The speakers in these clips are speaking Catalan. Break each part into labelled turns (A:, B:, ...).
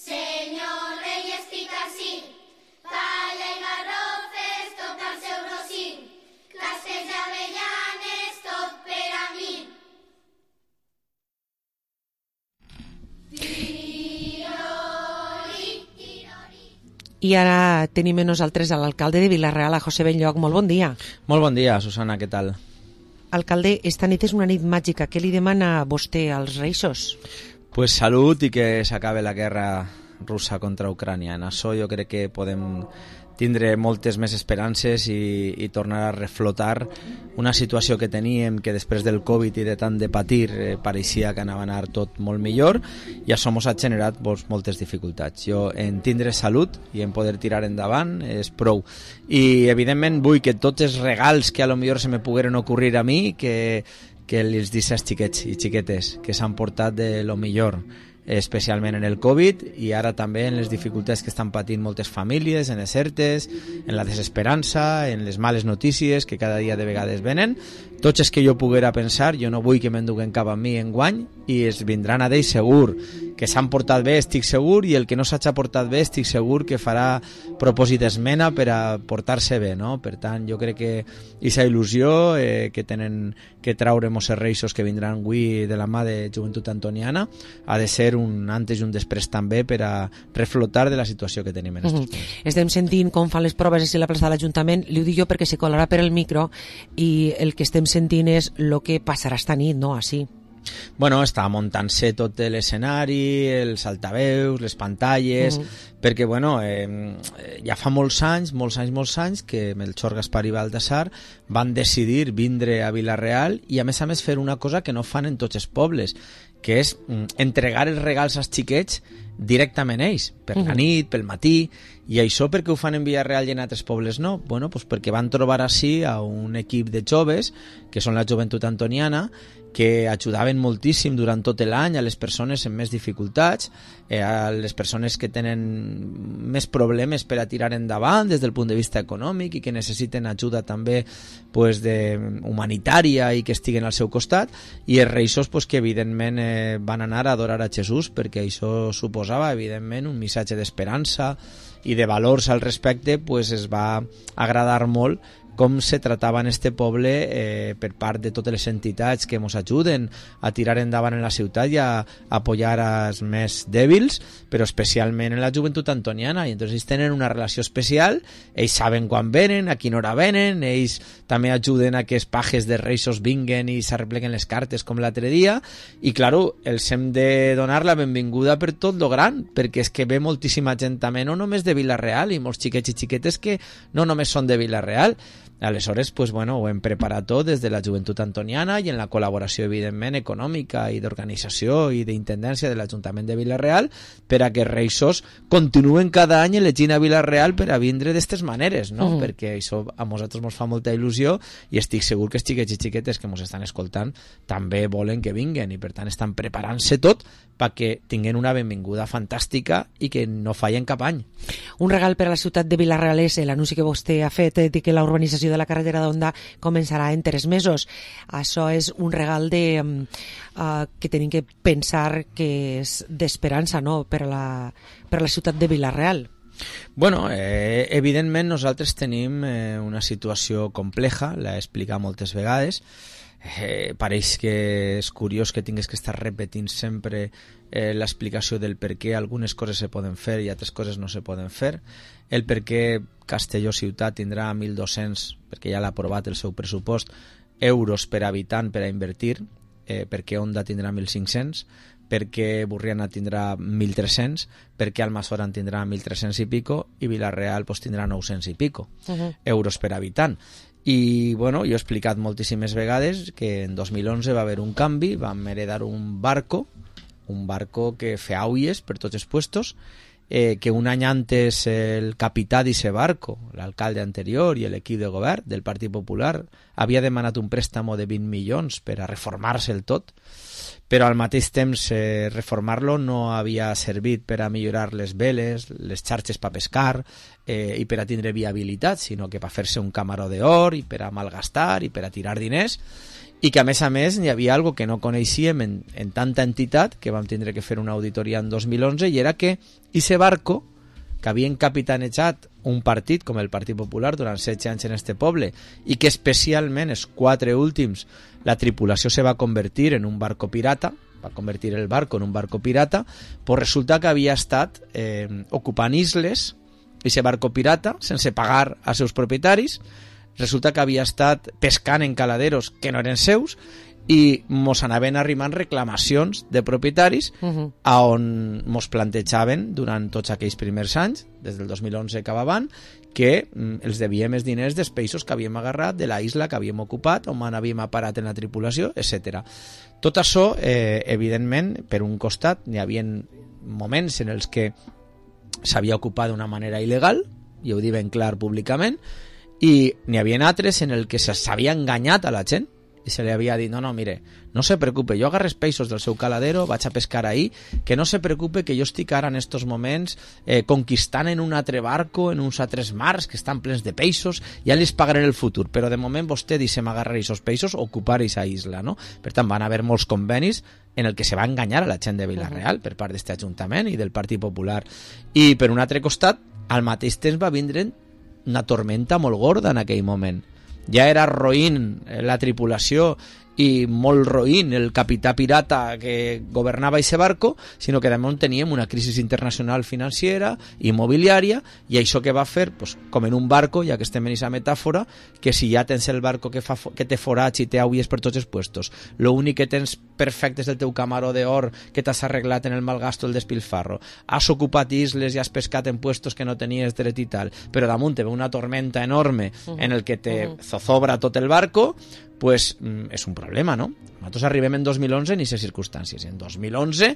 A: Senyor rei estic ací, palla i garrofes, tot al seu rossí, castells i avellanes, tot per a mi.
B: I ara tenim amb nosaltres a l'alcalde de Vila-real, a José Benlloch. Molt bon dia.
C: Molt bon dia, Susana, què tal?
B: Alcalde, esta nit és una nit màgica. Què li demana vostè als reixos?
C: Pues salut i que s'acabe la guerra russa contra Ucrània. En això jo crec que podem tindre moltes més esperances i tornar a reflotar una situació que teníem, que després del Covid i de tant de patir pareixia que anava a anar tot molt millor, i això ens ha generat moltes dificultats. Jo en tindre salut i en poder tirar endavant és prou. I evidentment vull que tots els regals que a lo millor se me pogueren ocorrir a mi, que els dic als xiquets i xiquetes que s'han portat de lo millor, especialment en el Covid i ara també en les dificultats que estan patint moltes famílies, en les ERTEs, en la desesperança, en les males notícies que cada dia de vegades venen. Tots els que jo poguera pensar, jo no vull que m'enduguen cap a mi enguany, i es vindran a d'ells segur, que s'han portat bé estic segur, i el que no s'ha portat bé estic segur que farà propòsit d'esmena per a portar-se bé, no? Per tant, jo crec que aquesta il·lusió que tenen que traure els reixos que vindran avui de la mà de Joventut Antoniana ha de ser un antes i un després també per a reflotar de la situació que tenim en aquests moments.
B: Estem sentint com fan les proves a la plaça de l'Ajuntament. Li ho dic jo perquè se colarà per el micro, i el que estem sentint és el que passarà esta nit, no? Així.
C: Bueno, està muntant-se tot l'escenari, els altaveus, les pantalles, perquè bueno, ja fa molts anys que Melchor, Gaspar i Baltasar van decidir vindre a Vila-real i a més fer una cosa que no fan en tots els pobles, que és entregar els regals als xiquets directament a ells, per la nit, pel matí. I això per què ho fan en Vila-real i en altres pobles no? Bueno, pues perquè van trobar així a un equip de joves, que són la Joventut Antoniana, que ajudaven moltíssim durant tot l'any a les persones amb més dificultats, a les persones que tenen més problemes per a tirar endavant des del punt de vista econòmic i que necessiten ajuda també pues, humanitària i que estiguen al seu costat, i els reixos pues, que evidentment van anar a adorar a Jesús, perquè això suposava evidentment un missatge d'esperança i de valors al respecte. Pues es va agradar molt com se tratava en este poble per part de totes les entitats que ens ajuden a tirar endavant en la ciutat i a apoyar als més dèbils, però especialment en la Joventut Antoniana. I entonces ells tenen una relació especial, ells saben quan venen, a quina hora venen, ells també ajuden a que els pajes de reixos vinguen i s'arrepleguen les cartes com l'altre dia, i claro, els hem de donar la benvinguda per tot lo gran, perquè és que ve moltíssima gent també, no només de Vila-real, i molts xiquets i xiquetes que no només són de Vila-real. Aleshores, pues bueno, ho hem preparat tot des de la Joventut Antoniana i en la col·laboració, evidentment, econòmica i d'organització i d'intendència de l'Ajuntament de Vila-real, per a que reixos continuen cada any elegint a Vila-real per a vindre d'aquestes maneres, no? Perquè això a nosaltres ens fa molta il·lusió i estic segur que els xiquets i xiquetes que ens estan escoltant també volen que vinguen, i per tant estan preparant-se tot perquè tinguin una benvinguda fantàstica i que no fallen cap any.
B: Un regal per a la ciutat de Vila-real és l'anunci que vostè ha fet de que la urbanització de la carretera d'Onda començarà en 3 mesos. Això és un regal que tenim que pensar que és d'esperança, no? per a la ciutat de Vila-real.
C: Bueno, evidentment nosaltres tenim una situació compleja, l'he explicat moltes vegades. Pareix que és curiós que tingues que estar repetint sempre l'explicació del per què algunes coses se poden fer i altres coses no se poden fer, el per què Castelló ciutat tindrà 1.200, perquè ja l'ha aprovat el seu pressupost, euros per habitant per a invertir, perquè Onda tindrà 1.500, perquè Burriana tindrà 1.300, perquè Almassora en tindrà 1.300 i pico, i Vila-real pues, tindrà 900 i pico euros per habitant. I bueno, jo he explicat moltíssimes vegades que en 2011 va haver un canvi, vam heredar un barco que feia aulles per tots els puestos, que un any antes el capità d'ese barco, l'alcalde anterior i l'equip de govern del Partit Popular havia demanat un préstamo de 20 milions per a reformar-se el tot, però al mateix temps reformar-lo no havia servit per a millorar les veles, les xarxes per pescar i per a tindre viabilitat, sinó que per fer-se un camaró d'or i per a malgastar i per a tirar diners. i que a més n'hi havia algo que no coneixíem en tanta entitat, que vam tindre que fer una auditoria en 2011, i era que ese barco, que havien capitanejat un partit com el Partit Popular durant 16 anys en este poble, i que especialment els 4 últims la tripulació se va convertir en un barco pirata, va convertir el barco en un barco pirata, pues resulta que havia estat ocupant isles, i ese barco pirata, sense pagar als seus propietaris, resulta que havia estat pescant en caladeros que no eren seus, i mos anaven arrimant reclamacions de propietaris a on mos plantejaven durant tots aquells primers anys, des del 2011 cap avant, que els devíem els diners dels peixos que havíem agarrat de la isla que havíem ocupat, on havíem aparat en la tripulació, etc. Tot això, evidentment, per un costat, n'hi havia moments en els que s'havia ocupat d'una manera il·legal, i ho diuen clar públicament, i n'hi havia altres en el que s'havia enganyat a la gent, i se li havia dit, no, mire, no se preocupe, jo agarres peixos del seu caladero, vaig a pescar ahí, que no se preocupe que jo estic ara en estos moments conquistant en un altre barco, en uns altres mars que estan plens de peixos, ja li pagaré el futur, però de moment vostè deixem agarrar aquests peixos, ocupar aquesta isla, no? Per tant, van haver molts convenis en el que se va enganyar a la gent de Vila-real per part d'aquest Ajuntament i del Partit Popular. I per un altre costat, al mateix temps va vindre una tormenta molt gorda en aquell moment. Ja era roïn la tripulació i molt roïn el capità pirata que governava aquest barco, sinó que damunt teníem una crisi internacional financera, immobiliària, i això que va fer, pues, com en un barco, ja que estem en aquesta metàfora, que si ja tens el barco que té forats i té aules per tots els puestos, l'únic que tens perfecte és el teu camaró d'or que t'has arreglat en el malgasto, el despilfarro, has ocupat isles i has pescat en puestos que no tenies dret i tal, però damunt te ve una tormenta enorme en el que te zozobra tot el barco, pues és un problema, no? Nosaltres arribem en 2011 en aquestes circumstàncies. En 2011,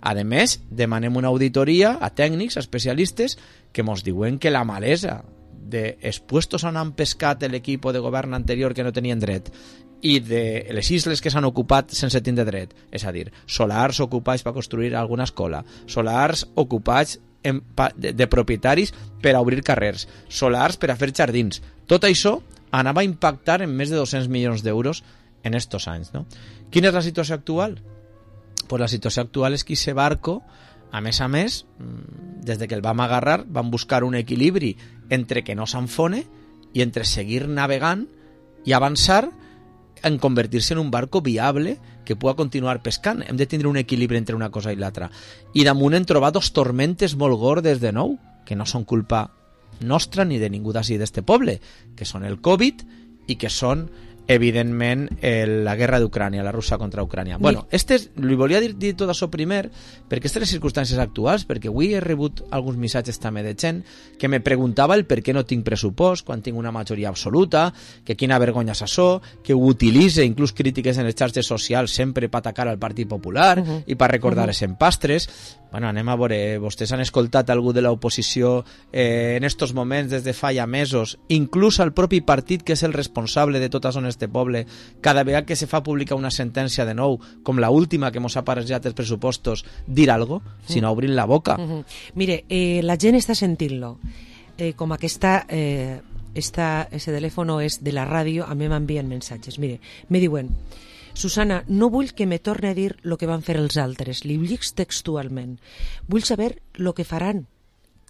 C: a més, demanem una auditoria a tècnics, a especialistes, que mos diuen que la malesa dels puestos on han pescat l'equip de govern anterior que no tenien dret i de les isles que s'han ocupat sense tindre dret, és a dir, solars ocupats per construir alguna escola, solars ocupats de propietaris per a obrir carrers, solars per a fer jardins, tot això anava a impactar en més de 200 milions d'euros en estos anys, no? Quina és la situació actual? Pues la situació actual és que aquest barco, a més, des de que el vam agarrar, vam buscar un equilibri entre que no s'enfone i entre seguir navegant i avançar en convertir-se en un barco viable que pugui continuar pescant. Hem de tindre un equilibri entre una cosa i l'altra. I damunt hem trobat dos tormentes molt gordes de nou, que no són culpa nostra ni de ningú d'ací d'este poble, que són el Covid i que són evidentment la guerra d'Ucrània, la Rússia contra Ucrània. Bueno, li volia dir tot això primer perquè aquestes circumstàncies actuals, perquè avui he rebut alguns missatges també de gent que me preguntava el per què no tinc pressupost quan tinc una majoria absoluta, que quina vergonya és això, que ho utilitze inclús crítiques en les xarxes socials sempre per atacar al Partit Popular i per recordar els empastres. Bueno, anem a veure, vostès han escoltat algú de l'oposició en estos moments des de fa ja mesos, inclús al propi partit que és el responsable de tot això en este poble, cada vegada que se fa pública una sentència de nou, com la última que mos ha aparejat els pressupostos, dir algo, sinó obrir la boca.
B: Mire, la gent està sentint-lo. Com aquesta... ese telèfono és de la ràdio, a mi m'envien mensatges. Mire, me diuen... Susana, no vull que me torni a dir el que van fer els altres, li dic textualment. Vull saber el que faran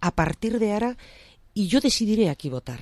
B: a partir d'ara i jo decidiré a qui votar.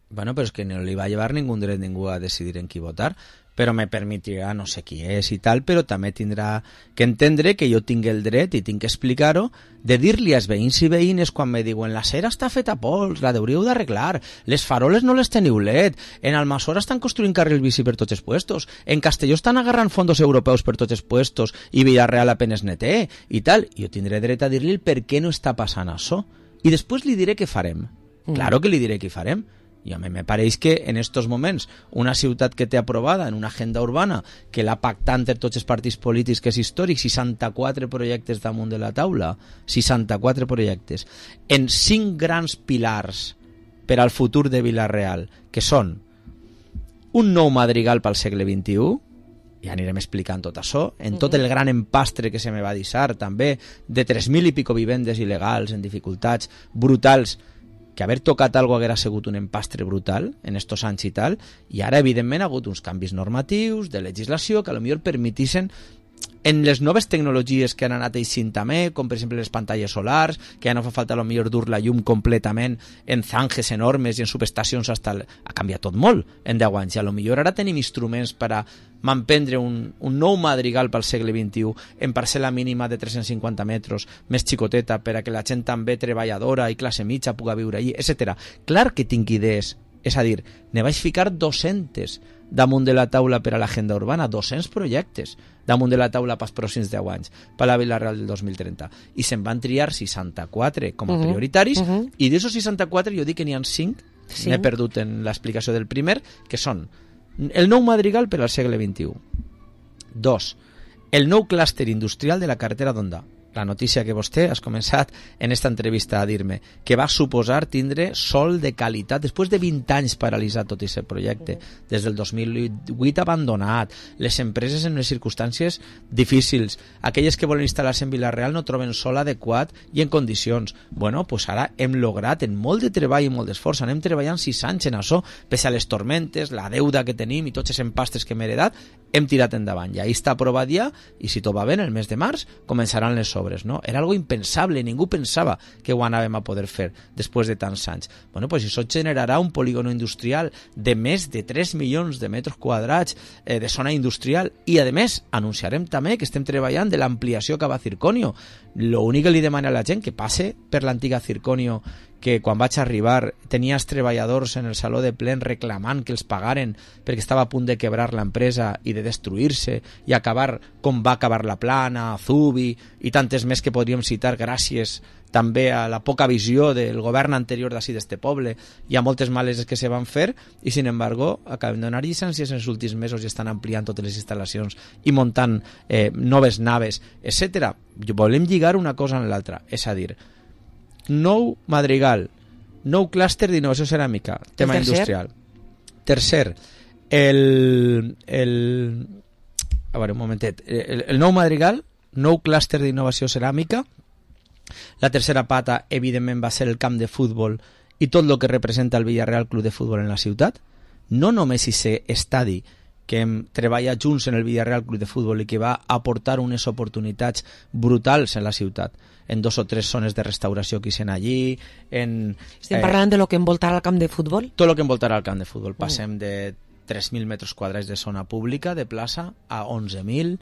C: Bueno, però és que no li va llevar dret ningú a decidir en qui votar, però me permetirà no sé qui és i tal, però també tindrà que entendre que jo tinc el dret i tinc que explicar-ho de dir-li als veïns i veïnes quan me diuen la cera està feta a pols, la hauríeu d'arreglar, les faroles no les teniu LED, en Almassora estan construint carril bici per tots els puestos, en Castelló estan agarrant fondos europeus per tots els puestos i Villarreal apenas neté i tal. Jo tindré dret a dir-li el per què no està passant això i després li diré què farem. Claro que li diré què farem. I a mi me pareix que en estos moments una ciutat que té aprovada en una agenda urbana que l'ha pactat entre tots els partits polítics que és històric, 64 projectes damunt de la taula, 64 projectes, en 5 grans pilars per al futur de Vila-real, que són un nou madrigal pel segle XXI, ja anirem explicant tot això, en tot el gran empastre que se me va deixar també, de 3.000 i pico vivendes il·legals en dificultats brutals, que haver tocat algo haguera sigut un empastre brutal en estos anys i tal, i ara evidentment ha hagut uns canvis normatius de legislació que potser permetissin en les noves tecnologies que han anat eixint també, com per exemple les pantalles solars, que ja no fa falta potser dur la llum completament en zanjes enormes i en subestacions ha canviat tot molt en 10 anys, i potser ara tenim instruments per a manprendre un nou madrigal pel segle XXI en parcel·la mínima de 350 metres, més xicoteta, per a que la gent també treballadora i classe mitja pugui viure allí, etc. Clar que tinc idees, és a dir, ne vaig ficar 200 damunt de la taula per a l'agenda urbana, 200 projectes damunt de la taula pels pròxims 10 anys, per la Vila-real del 2030. I se'n van triar 64 com a prioritaris, i d'aquests 64 jo dic que n'hi ha 5, n'he perdut en l'explicació del primer, que són el nou madrigal per al segle XXI. 2. El nou clúster industrial de la carretera d'Onda. La notícia que vostè has començat en esta entrevista a dir-me, que va suposar tindre sol de qualitat després de 20 anys paralitzat tot aquest projecte, des del 2008 abandonat, les empreses en unes circumstàncies difícils, aquelles que volen instal·lar-se en Vila-real no troben sol adequat i en condicions. Bueno, pues ara hem lograt, en molt de treball i molt d'esforç, anem treballant 6 anys en això, pese a les tormentes, la deuda que tenim i tots els empastres que hem heredat, hem tirat endavant. I ahí està aprovat ja, i si tot va bé, el mes de març començaran les obres, no? Era algo impensable, ningú pensava que ho anàvem a poder fer després de tants anys. Bueno, pues això generarà un polígono industrial de més de 3 milions de metres quadrats de zona industrial, i a més anunciarem també que estem treballant de l'ampliació cap a Circonio. L'únic que li demana a la gent que passe per l'antiga Circonio, que quan vaig arribar tenia els treballadors en el saló de plen reclamant que els pagaren perquè estava a punt de quebrar l'empresa i de destruir-se i acabar com va acabar la Plana, Zubi i tantes més que podríem citar gràcies també a la poca visió del govern anterior d'ací d'este poble i a moltes maleses que se van fer, i sin embargo acabem de donar llicències en els últims mesos i estan ampliant totes les instal·lacions i muntant noves naves, etc. Volem lligar una cosa amb l'altra, és a dir, nou madrigal, nou clúster d'innovació ceràmica, tema industrial. Tercer, el nou madrigal, nou clúster d'innovació ceràmica. La tercera pata, evidentment, va ser el camp de futbol i tot el que representa el Villarreal Club de Futbol en la ciutat. No només aquest estadi que hem treballat junts en el Villarreal Club de Futbol i que va aportar unes oportunitats brutals en la ciutat, en 2 o 3 zones de restauració que hi sent allí.
B: Estem parlant de lo que envoltarà el camp de futbol?
C: Tot el que envoltarà el camp de futbol. Passem de 3.000 metres quadrats de zona pública, de plaça, a 11.000.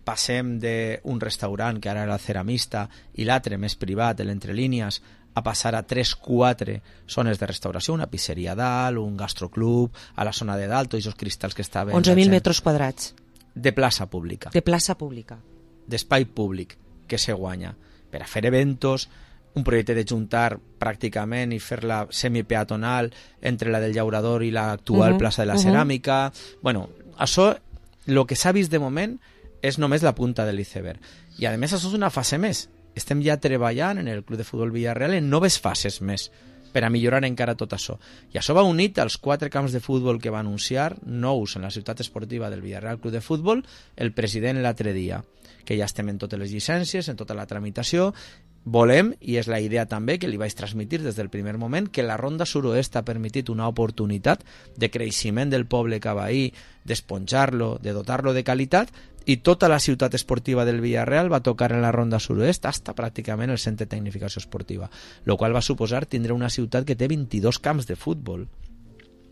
C: Passem d'un restaurant que ara era el ceramista i l'altre més privat, l'entre línies, a passar a 3-4 zones de restauració, una pizzeria dalt, un gastroclub, a la zona de dalt, tots els cristalls que estaven...
B: 11.000 metres quadrats.
C: De plaça pública.
B: De plaça pública.
C: D'espai públic que se guanya per a fer eventos, un projecte de juntar pràcticament i fer-la semipeatonal entre la del Llaurador i l'actual plaça de la Ceràmica. Bueno, això, el que s'ha vist de moment és només la punta de l'iceberg. I a més això és una fase més. Estem ja treballant en el Club de Futbol Villarreal en noves fases més per a millorar encara tot això. I això va unit als 4 camps de futbol que va anunciar, nous en la ciutat esportiva del Villarreal Club de Futbol, el president l'altre dia, que ja estem en totes les llicències, en tota la tramitació. Volem, i és la idea també que li vaig transmitir des del primer moment, que la Ronda Suroest ha permetit una oportunitat de creixement del poble cabaí, d'esponjar-lo, de dotar-lo de qualitat, i tota la ciutat esportiva del Villarreal va tocar en la Ronda Suroest hasta pràcticament el centre de tecnificació esportiva, el qual va suposar tindre una ciutat que té 22 camps de futbol.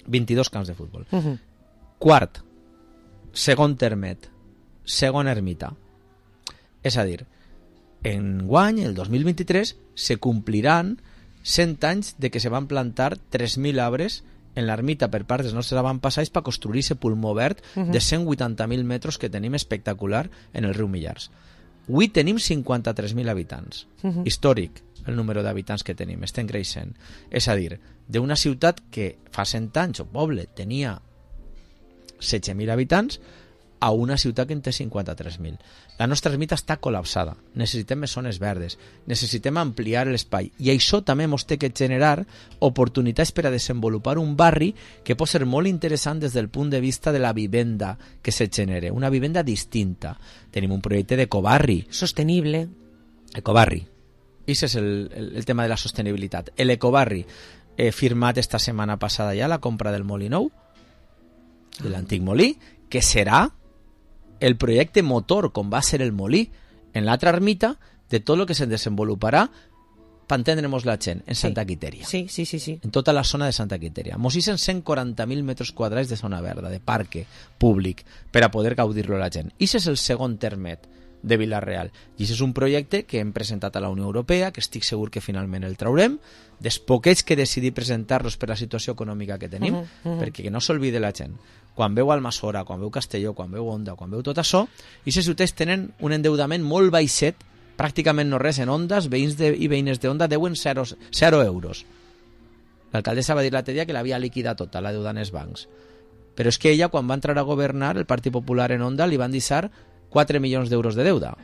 C: 22 camps de futbol. Quart, segon termet, segona ermita. És a dir, enguany, el 2023, se compliran 100 anys de que se van plantar 3.000 arbres en l'ermita per part dels nostres avantpassats per construir aquest pulmó verd de 180.000 metres que tenim espectacular en el riu Millars. Avui tenim 53.000 habitants. Històric el número d'habitants que tenim, estem creixent. És a dir, d'una ciutat que fa 100 anys, o poble, tenia 16.000 habitants, a una ciutat que en té 53.000. La nostra ermita està col·lapsada. Necessitem més zones verdes. Necessitem ampliar l'espai. I això també ens té que generar oportunitats per a desenvolupar un barri que pot ser molt interessant des del punt de vista de la vivenda que se genere. Una vivenda distinta. Tenim un projecte d'ecobarri.
B: Sostenible.
C: Ecobarri. I és el tema de la sostenibilitat. L'Ecobarri firmat esta setmana passada ja la compra del molí nou, de l'antic molí, que serà el projecte motor, com va ser el molí en l'altra ermita, de tot el que se desenvoluparà per entendre-nos la gent en Santa Quiteria.
B: Sí.
C: En tota la zona de Santa Quiteria. Mos hicen 140.000 metres quadrats de zona verda, de parque públic, per a poder gaudir-lo la gent. I és el segon termet de Vila-real. I això és un projecte que hem presentat a la Unió Europea, que estic segur que finalment el traurem, dels poquets que decidí presentar-los per la situació econòmica que tenim, perquè que no s'olvide la gent. Quan veu Almassora, quan veu Castelló, quan veu Onda, quan veu tot això, aquestes ciutats tenen un endeudament molt baixet, pràcticament no res en Ondas, veïns i veïnes d'Onda deuen 0 euros. L'alcaldessa va dir l'altre dia que l'havia liquidat tota, la deuda en els bancs. Però és que ella, quan va entrar a governar, el Partit Popular en Onda li van deixar 4 milions d'euros de deuda.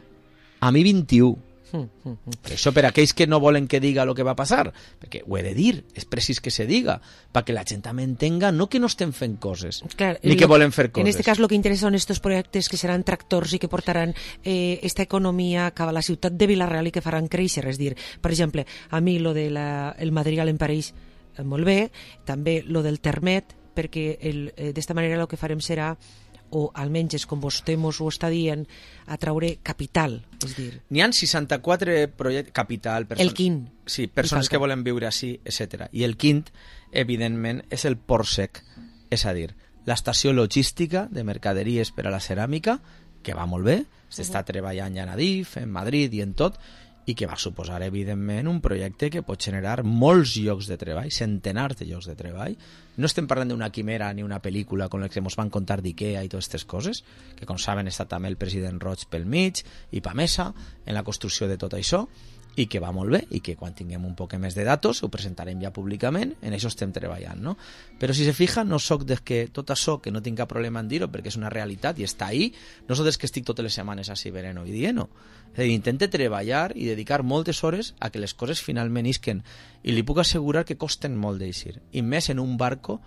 C: A mi 21. Per això, per aquells que no volen que diga el que va passar, perquè ho he de dir, és precís que se diga, perquè la gent també entenga no que no estem fent coses, ni que volem fer coses.
B: En este cas lo que interessa són estos projectes que seran tractors i que portaran esta economia cap a la ciutat de Vila-real i que faran créixer, és dir, per exemple, a mi lo de el material em pareix molt bé, també lo del termet, perquè d'esta manera el que farem serà, o almenys és com vostè mos ho està dient, atraure capital, és dir...
C: N'hi ha 64 projectes... Capital...
B: El quint.
C: Sí, persones que volen viure així, etc. I el quint, evidentment, és el port sec, és a dir, l'estació logística de mercaderies per a la ceràmica, que va molt bé, s'està treballant ja en Adif, en Madrid i en tot, i que va suposar, evidentment, un projecte que pot generar molts llocs de treball, centenars de llocs de treball. No estem parlant d'una quimera ni una pel·lícula com la que ens van contar d'Ikea i totes aquestes coses, que, com saben, està també el president Roig pel mig i Pamesa en la construcció de tot això, i que va molt bé, i que quan tinguem un poc més de datos ho presentarem ja públicament, en això estem treballant, no? Però si se fija, no soc des que tot això, que no tinc cap problema en dir-ho, perquè és una realitat i està ahí, no soc des que estic totes les setmanes així venent i dient-ho. És a dir, intente treballar i dedicar moltes hores a que les coses finalment isquen, i li puc assegurar que costen molt d'eixir, i més en un barco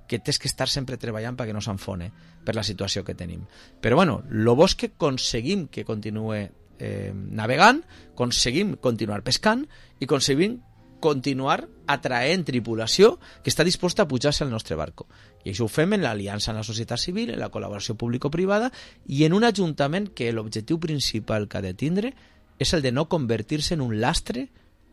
C: que tens que estar sempre treballant perquè no s'enfone per la situació que tenim. Però bueno, lo bo és que aconseguim que continuï navegant, aconseguim continuar pescant i aconseguim continuar atraent tripulació que està disposta a pujar-se al nostre barco. I això ho fem en l'aliança amb la societat civil, en la col·laboració público-privada i en un ajuntament que l'objectiu principal que ha de tindre és el de no convertir-se en un lastre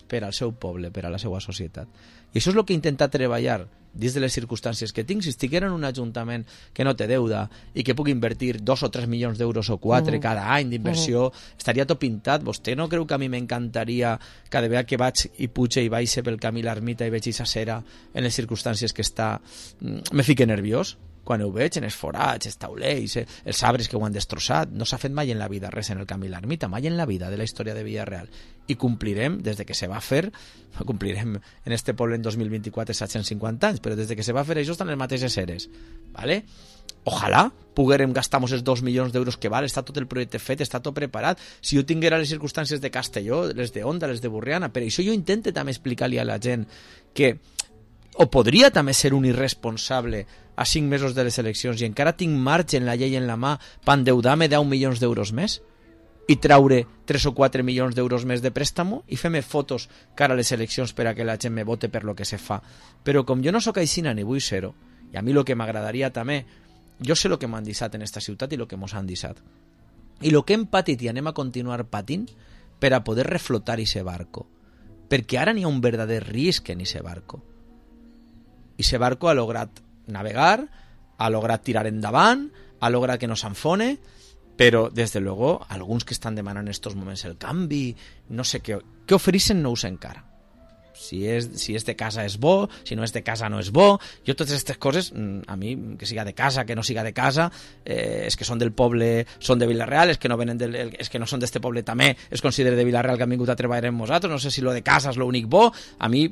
C: per al seu poble, per a la seva societat. I això és el que intenta treballar dins de les circumstàncies que tinc. Si estiguera en un ajuntament que no té deuda i que pugui invertir 2 o 3 milions d'euros o 4 cada any d'inversió, estaria tot pintat. Vostè no creu que a mi m'encantaria cada vegada que vaig i puge i baixe pel camí l'ermita i veig aquesta cera en les circumstàncies que està, me fique nerviós? Quan ho veig en els forats, els taulells, els arbres que ho han destrossat, no s'ha fet mai en la vida res en el camí l'ermita, mai en la vida de la història de Vila-real. I complirem, des de que se va fer, complirem en este poble en 2024 750 anys, però des de que se va fer això estan les mateixes eres. ¿Vale? Ojalà poguérem gastar-nos els 2 milions d'euros que val, està tot el projecte fet, està tot preparat. Si jo tinguera les circumstàncies de Castelló, les de Onda, les de Burriana, per això jo intento també explicar-li a la gent que o podria també ser un irresponsable a 5 mesos de les eleccions i encara tinc marge en la llei en la mà per endeudar-me 10 milions d'euros més i traure 3 o 4 milions d'euros més de préstamo i fer-me fotos cara a les eleccions per a que la gent me vote per lo que se fa. Però com jo no sóc aixina ni vull ser-ho, i a mi el que m'agradaria també, jo sé el que m'han deixat en esta ciutat i el que mos han deixat. I el que hem patit i anem a continuar patint per a poder reflotar ese barco. Perquè ara n'hi ha un verdader risc en ese barco. I ese barco ha lograt navegar, ha lograt tirar endavant, ha lograt que no s'enfone, però, des de luego, alguns que estan demanant en estos moments el canvi, no sé què ofereixen no ho sé encara. Si és de casa és bo, si no és de casa no és bo. Jo totes aquestes coses, a mi, que siga de casa, que no siga de casa, és que són del poble, són de Vila-real, és que no venen és que no són d'este poble també, es considera de Vila-real que han vingut a treballar amb nosaltres, no sé si lo de casa és l'únic bo, a mi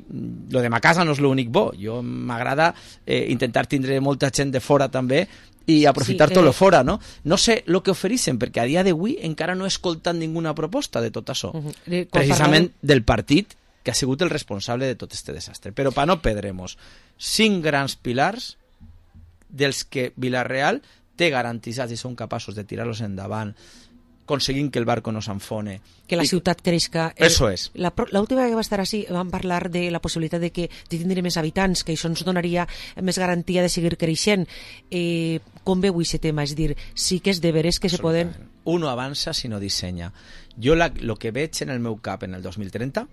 C: lo de ma casa no és l'únic bo, jo m'agrada intentar tindre molta gent de fora també i aprofitar tot lo fora, no? No sé el que ofereixen, perquè a dia d'avui encara no he escoltat ninguna proposta de tot això, precisament del partit que ha sigut el responsable de tot este desastre. Però per no perdre-nos 5 grans pilars dels que Vila-real té garantitzats i són capaços de tirar-los endavant conseguint que el barco no s'enfone.
B: Que la ciutat creixca.
C: Eso és.
B: L'última vegada que va estar així vam parlar de la possibilitat de que tindre més habitants, que això ens donaria més garantia de seguir creixent. Com veu aquest tema? És dir, sí que és de veres que se poden...
C: Uno avança si no dissenya. Jo lo que veig en el meu cap en el 2030,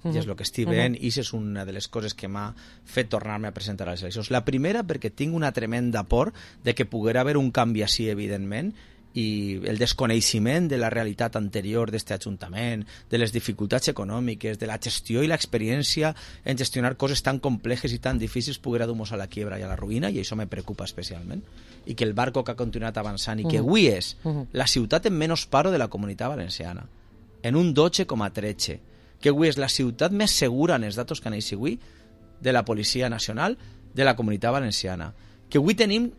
C: i és el que estic veient, i és una de les coses que m'ha fet tornar-me a presentar a les eleccions. La primera, perquè tinc una tremenda por de que poguera haver un canvi així, evidentment, i el desconeixement de la realitat anterior d'aquest Ajuntament, de les dificultats econòmiques, de la gestió i l'experiència en gestionar coses tan complexes i tan difícils poguera dur-nos a la quiebra i a la ruïna, i això me preocupa especialment. I que el barco que ha continuat avançant i que avui és la ciutat en menys paro de la Comunitat Valenciana, en un 12,13, que avui és la ciutat més segura en els datos que aneix avui de la Policia Nacional de la Comunitat Valenciana, que avui tenim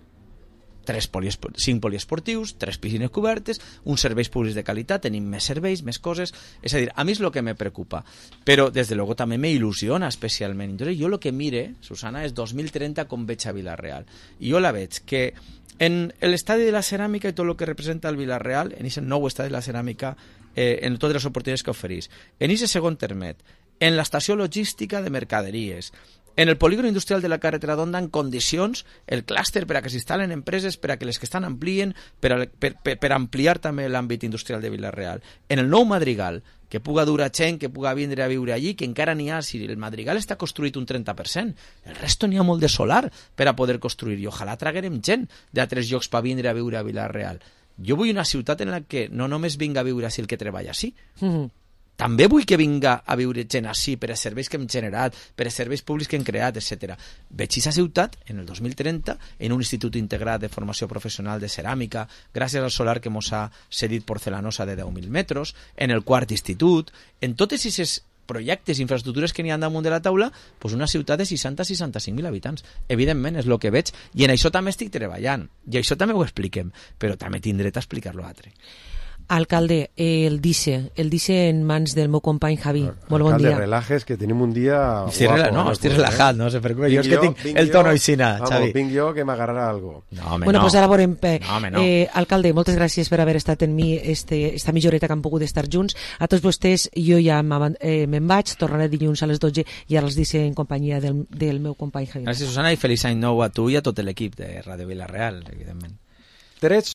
C: 5 poliesportius, 3 piscines cobertes, uns serveis públics de qualitat, tenim més serveis, més coses, és a dir, a mi és el que me preocupa, però des de luego també me il·lusiona especialment. Entonces, jo el que mire, Susana, és 2030 com veig a Vila-real, i jo la veig que en l'estadi de la ceràmica i tot el que representa el Vila-real, en aquest nou estadi de la ceràmica, en totes les oportunitats que oferís, en aquest segon termet, en l'estació logística de mercaderies, en el polígon industrial de la carretera d'Onda en condicions, el clúster per a que s'instal·len empreses, per a que les que estan amplien, per ampliar també l'àmbit industrial de Vila-real. En el nou Madrigal, que puga dur a gent, que puga vindre a viure allí, que encara n'hi ha, si el Madrigal està construït un 30%, el resto n'hi ha molt de solar per a poder construir, i ojalà traguerem gent d'altres llocs per vindre a viure a Vila-real. Jo vull una ciutat en la que no només vinga a viure així el que treballa així, també vull que vinga a viure gent així per als serveis que hem generat, per als serveis públics que hem creat, etc. Veig aquesta ciutat en el 2030 en un institut integrat de formació professional de ceràmica, gràcies al solar que mos ha cedit Porcelanosa de 10.000 metres, en el quart institut, en totes aquestes projectes i infraestructures que n'hi ha damunt de la taula, doncs una ciutat de 60-65.000 habitants. Evidentment, és el que veig, i en això també estic treballant, i això també ho expliquem, però també tindré a explicar-lo altre.
B: Alcalde, el dice en mans del meu company Javi. Molt bon dia.
D: Alcalde, relajes, que tenim un dia
C: guapo. Estic relajat, no se preocupe. Jo és que tinc el tono aixina, Xavi.
D: Vinc jo que m'agarrarà algo.
C: No, home,
B: bueno,
C: no.
B: Pues ara veurem.
C: No.
B: Alcalde, moltes gràcies per haver estat en mi esta mitja horeta que hem pogut estar junts. A tots vostès, jo ja me'n vaig, tornaré dilluns a les 12 i ara els dice en companyia del meu company Javi.
C: Gràcies, Susana, i feliç any nou a tu i a tot l'equip de Ràdio Vila-real, evidentment.